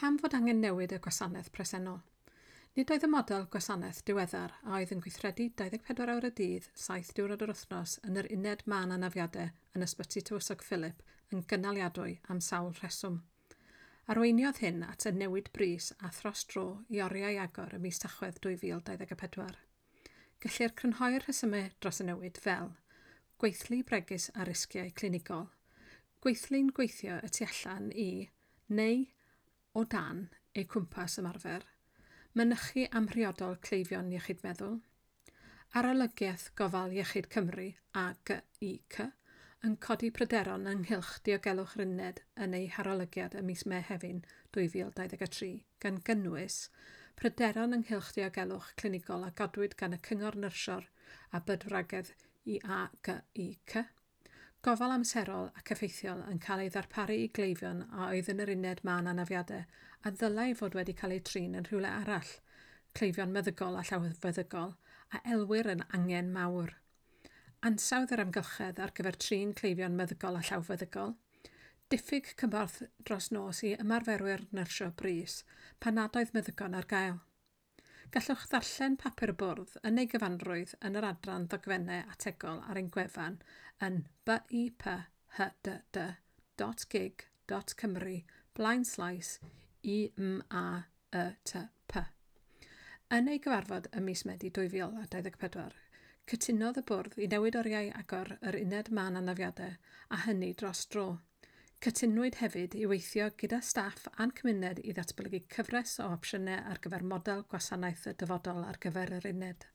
Pam fod angen newid y gwasanaeth presennol? Nid oedd y model gwasanaeth diweddar a oedd yn gweithredu 24 awr y dydd, 7 diwrnod yr wythnos yn yr uned mân anafiadau yn Ysbyty Tywysog Philip yn gynaliadwy am sawl rheswm. Arweiniodd hyn at y newid brys a thros dro i oriau agor ym mis Tachwedd 2024. Gellir crynhoi'r rhesymau dros y newid fel gweithlu bregus a risgiau clinigol, gweithlu'n gweithio y tu allan i neu o dan eu cwmpas ymarfer, mynychu amhriodol cleifion iechyd meddwl, Arolygiaeth Gofal Iechyd Cymru AGIC yn codi pryderon ynghylch diogelwch yr uned yn ei harolygiad ym mis Mehefin 2023, gan gynnwys pryderon ynghylch diogelwch clinigol a godwyd gan y Cyngor Nyrsio a Bydwragedd i AGIC, gofal amserol ac effeithiol yn cael ei ddarparu i gleifion a oedd yn yr uned mân anafiadau a ddylai fod wedi cael eu trin yn rhywle arall, cleifion meddygol a llawfeddygol, a elwir yn angen mawr. Ansawdd yr amgylchedd ar gyfer trin cleifion meddygol a llawfeddygol, diffyg cymorth dros nos i ymarferwyr nyrsio brys pan nad oedd meddygon ar gael. Gallwch ddarllen papur y bwrdd yn ei gyfanrwydd yn yr adran ddogfennau ategol ar ein gwefan yn biphdd.gig.cymru blaenslaes IMAETP. Yn ei gyfarfod ym mis Medi 2024, cytunodd y bwrdd i newid oriau agor yr uned mân anafiadau a hynny dros dro. Cytunwyd hefyd i weithio gyda staff a'n cymuned i ddatblygu cyfres o opsiynau ar gyfer model gwasanaeth y dyfodol ar gyfer yr uned.